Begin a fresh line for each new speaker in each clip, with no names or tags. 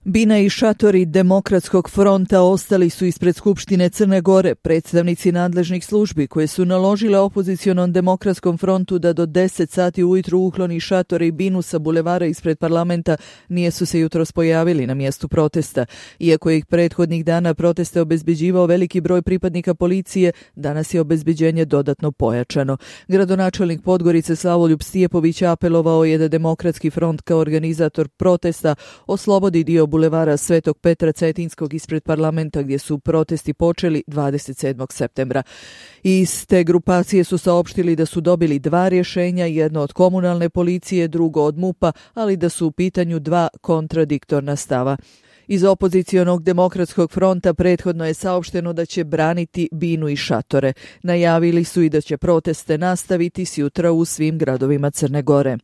Bina i šatori Demokratskog fronta ostali su ispred Skupštine Crne Gore. Predstavnici nadležnih službi koje su naložile opozicionom Demokratskom frontu da do 10 sati ujutru ukloni šatore i binu sa bulevara ispred parlamenta nisu se jutros pojavili na mjestu protesta. Iako je ih prethodnih dana proteste obezbeđivao veliki broj pripadnika policije, danas je obezbeđenje dodatno pojačano. Gradonačelnik Podgorice Slavoljub Stijepović apelovao je da Demokratski front kao organizator protesta oslobodi dio bulevara Svetog Petra Cetinskog ispred parlamenta gdje su protesti počeli 27. septembra. Iz te grupacije su saopštili da su dobili 2 rješenja, jedno od komunalne policije, drugo od MUP-a, ali da su u pitanju 2 kontradiktorna stava. Iz opozicionog Demokratskog fronta prethodno je saopšteno da će braniti binu i šatore. Najavili su i da će proteste nastaviti sjutra u svim gradovima Crne Gore.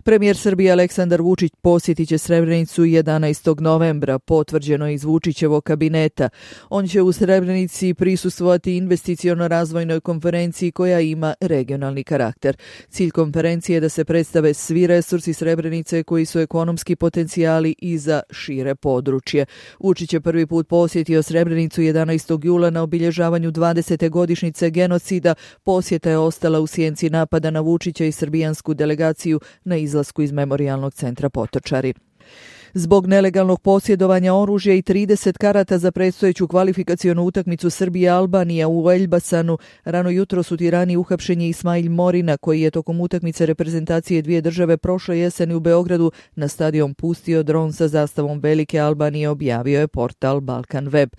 Premijer Srbije Aleksandar Vučić posjetit će Srebrenicu 11. novembra, potvrđeno iz Vučićevog kabineta. On će u Srebrenici prisustvovati investiciono-razvojnoj konferenciji koja ima regionalni karakter. Cilj konferencije je da se predstave svi resursi Srebrenice koji su ekonomski potencijali i za šire područje. Vučić je prvi put posjetio Srebrenicu 11. jula na obilježavanju 20. godišnjice genocida. Posjeta je ostala u sjenci napada na Vučića i srbijansku delegaciju na izlasku iz Memorijalnog centra Potočari. Zbog nelegalnog posjedovanja oružja i 30 karata za predstojeću kvalifikacionu utakmicu Srbije-Albanija u Elbasanu, rano jutros u Tirani uhapšen je Ismail Morina, koji je tokom utakmice reprezentacije dvije države prošle jeseni u Beogradu na stadion pustio dron sa zastavom Velike Albanije, objavio je portal Balkan Web.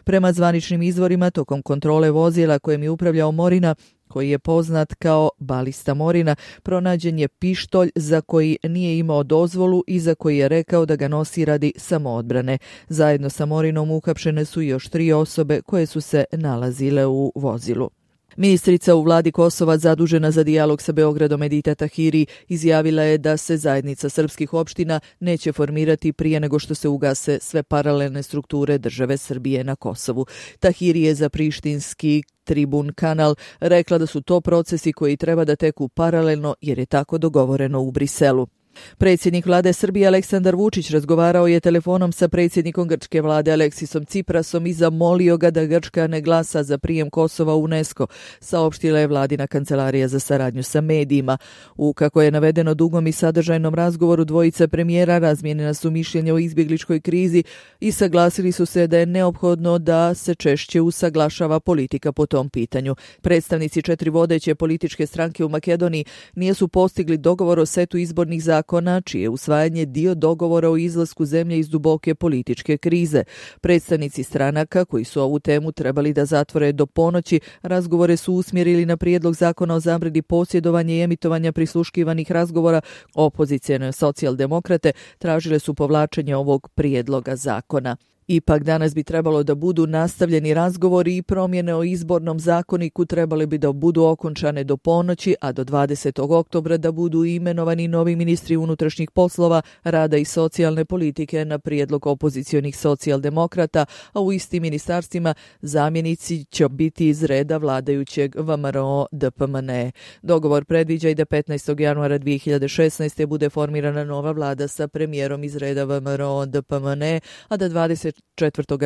Prema zvaničnim izvorima, tokom kontrole vozila kojem je upravljao Morina, koji je poznat kao Balista Morina, pronađen je pištolj za koji nije imao dozvolu i za koji je rekao da ga nosi radi samoodbrane. Zajedno sa Morinom uhapšene su još 3 osobe koje su se nalazile u vozilu. Ministrica u vladi Kosova zadužena za dijalog sa Beogradom Edita Tahiri izjavila je da se zajednica srpskih opština neće formirati prije nego što se ugase sve paralelne strukture države Srbije na Kosovu. Tahiri je za prištinski Tribun kanal rekla da su to procesi koji treba da teku paralelno jer je tako dogovoreno u Briselu. Predsjednik vlade Srbije Aleksandar Vučić razgovarao je telefonom sa predsjednikom grčke vlade Aleksisom Ciprasom i zamolio ga da Grčka ne glasa za prijem Kosova u UNESCO, saopštila je vladina kancelarija za saradnju sa medijima. U, kako je navedeno, dugom i sadržajnom razgovoru dvojice premijera razmijenjena su mišljenja o izbjegličkoj krizi i saglasili su se da je neophodno da se češće usaglašava politika po tom pitanju. Predstavnici 4 vodeće političke stranke u Makedoniji nisu postigli dogovor o setu izbornih zakona, čije usvajanje dio dogovora o izlasku zemlje iz duboke političke krize. Predstavnici stranaka koji su ovu temu trebali da zatvore do ponoći, razgovore su usmjerili na prijedlog zakona o zabrani posjedovanja i emitovanja prisluškivanih razgovora. Opozicijone socijaldemokrate tražile su povlačenje ovog prijedloga zakona. Ipak danas bi trebalo da budu nastavljeni razgovori i promjene o izbornom zakoniku trebali bi da budu okončane do ponoći, a do 20. oktobra da budu imenovani novi ministri unutrašnjih poslova, rada i socijalne politike na prijedlog opozicionih socijaldemokrata, a u istim ministarstvima zamjenici će biti iz reda vladajućeg VMRO DPMNE. Dogovor predviđa i da 15. januara 2016. bude formirana nova vlada sa premijerom iz reda VMRO DPMNE, a da 24.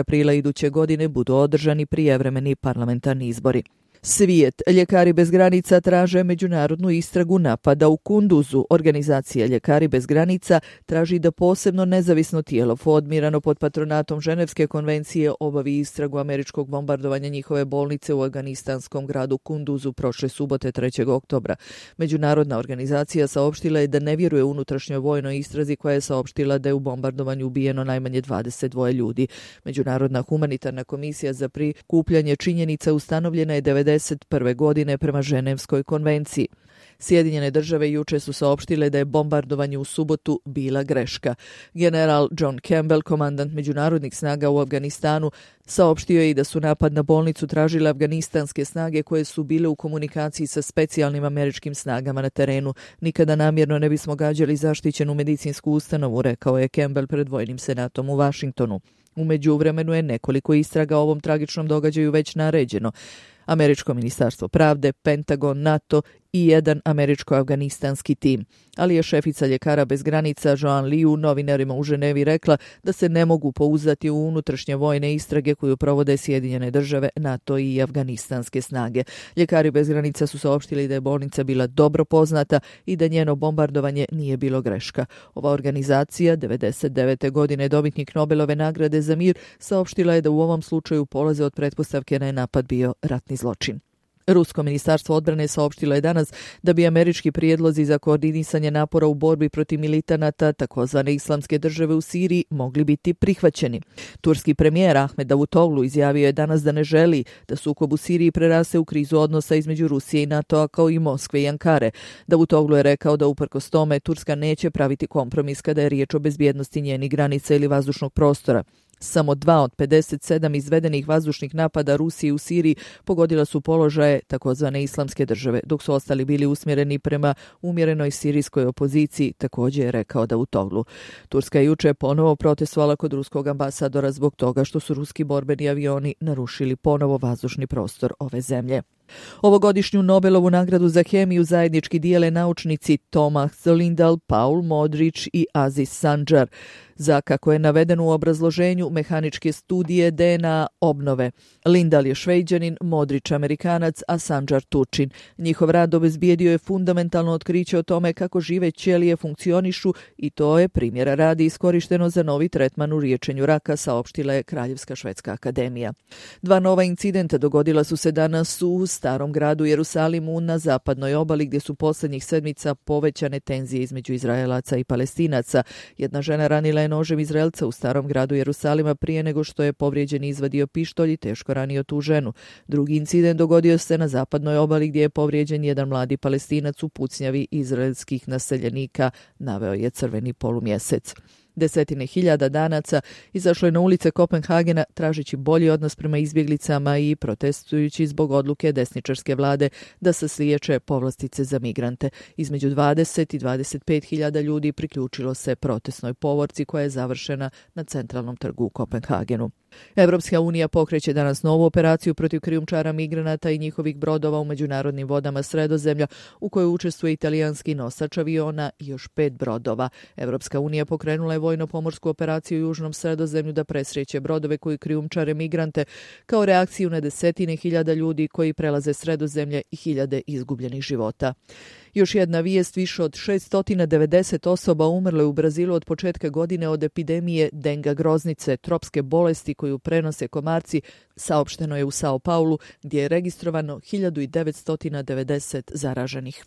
aprila iduće godine budu održani prijevremeni parlamentarni izbori. Svijet. Ljekari bez granica traže međunarodnu istragu napada u Kunduzu. Organizacija Ljekari bez granica traži da posebno nezavisno tijelo formirano pod patronatom Ženevske konvencije obavi istragu američkog bombardovanja njihove bolnice u afganistanskom gradu Kunduzu prošle subote 3. oktobra. Međunarodna organizacija saopštila je da ne vjeruje unutrašnjoj vojnoj istrazi koja je saopštila da je u bombardovanju ubijeno najmanje 22 ljudi. Međunarodna humanitarna komisija za prikupljanje činjenica ustanovljena je 1991. godine prema Ženevskoj konvenciji. Sjedinjene države juče su saopštile da je bombardovanje u subotu bila greška. General John Campbell, komandant međunarodnih snaga u Afganistanu, saopštio je i da su napad na bolnicu tražile afganistanske snage koje su bile u komunikaciji sa specijalnim američkim snagama na terenu. Nikada namjerno ne bismo gađali zaštićenu medicinsku ustanovu, rekao je Campbell pred Vojnim senatom u Vašingtonu. U međuvremenu je nekoliko istraga o ovom tragičnom događaju već naređeno. Američko ministarstvo pravde, Pentagon, NATO i jedan američko-afganistanski tim. Ali je šefica Ljekara bez granica Joan Liu novinarima u Ženevi rekla da se ne mogu pouzdati u unutrašnje vojne istrage koju provode Sjedinjene države, NATO i afganistanske snage. Ljekari bez granica su saopštili da je bolnica bila dobro poznata i da njeno bombardovanje nije bilo greška. Ova organizacija, 1999. godine dobitnik Nobelove nagrade za mir, saopštila je da u ovom slučaju polaze od pretpostavke da je napad bio ratni zločin. Rusko ministarstvo odbrane saopštilo je danas da bi američki prijedlozi za koordinisanje napora u borbi protiv militanata takozvane islamske države u Siriji mogli biti prihvaćeni. Turski premijer Ahmed Davutoglu izjavio je danas da ne želi da sukob u Siriji preraste u krizu odnosa između Rusije i NATO-a kao i Moskve i Ankare. Davutoglu je rekao da uprkos tome Turska neće praviti kompromis kada je riječ o bezbjednosti njenih granica ili vazdušnog prostora. Samo 2 od 57 izvedenih vazdušnih napada Rusije u Siriji pogodila su položaje takozvane islamske države, dok su ostali bili usmjereni prema umjerenoj sirijskoj opoziciji, također je rekao Davutoglu. Turska je juče ponovo protestovala kod ruskog ambasadora zbog toga što su ruski borbeni avioni narušili ponovo vazdušni prostor ove zemlje. Ovogodišnju Nobelovu nagradu za hemiju zajednički dijele naučnici Thomas Lindahl, Paul Modrić i Aziz Sancar za, kako je navedeno u obrazloženju, mehaničke studije DNA obnove. Lindahl je Šveđanin, Modrić Amerikanac, a Sancar Turčin. Njihov rad obezbijedio je fundamentalno otkriće o tome kako žive ćelije funkcionišu i to je, primjera radi, iskorišteno za novi tretman u liječenju raka, saopštila je Kraljevska švedska akademija. 2 nova incidenta dogodila su se danas u starom gradu Jerusalimu na zapadnoj obali, gdje su posljednjih sedmica povećane tenzije između Izraelaca i Palestinaca. Jedna žena ranila je nožem Izraelca u starom gradu Jerusalima prije nego što je povrijeđeni izvadio pištolj i teško ranio tu ženu. Drugi incident dogodio se na zapadnoj obali, gdje je povrijeđen jedan mladi Palestinac u pucnjavi izraelskih naseljenika, naveo je Crveni polumjesec. Desetine hiljada Danaca izašlo je na ulice Kopenhagena tražeći bolji odnos prema izbjeglicama i protestujući zbog odluke desničarske vlade da se sliječe povlastice za migrante. Između 20 i 25 hiljada ljudi priključilo se protestnoj povorci koja je završena na centralnom trgu u Kopenhagenu. Evropska unija pokreće danas novu operaciju protiv krijumčara migranata i njihovih brodova u međunarodnim vodama Sredozemlja, u kojoj učestvuje italijanski nosač aviona i još 5 brodova. Evropska unija pokrenula je vojno-pomorsku operaciju u Južnom Sredozemlju da presrijeće brodove koji krijumčare migrante kao reakciju na desetine hiljada ljudi koji prelaze Sredozemlje i hiljade izgubljenih života. Još jedna vijest, više od 690 osoba umrlo je u Brazilu od početka godine od epidemije denga groznice, tropske bolesti koju prenose komarci, saopšteno je u Sao Paulu, gdje je registrovano 1990 zaraženih.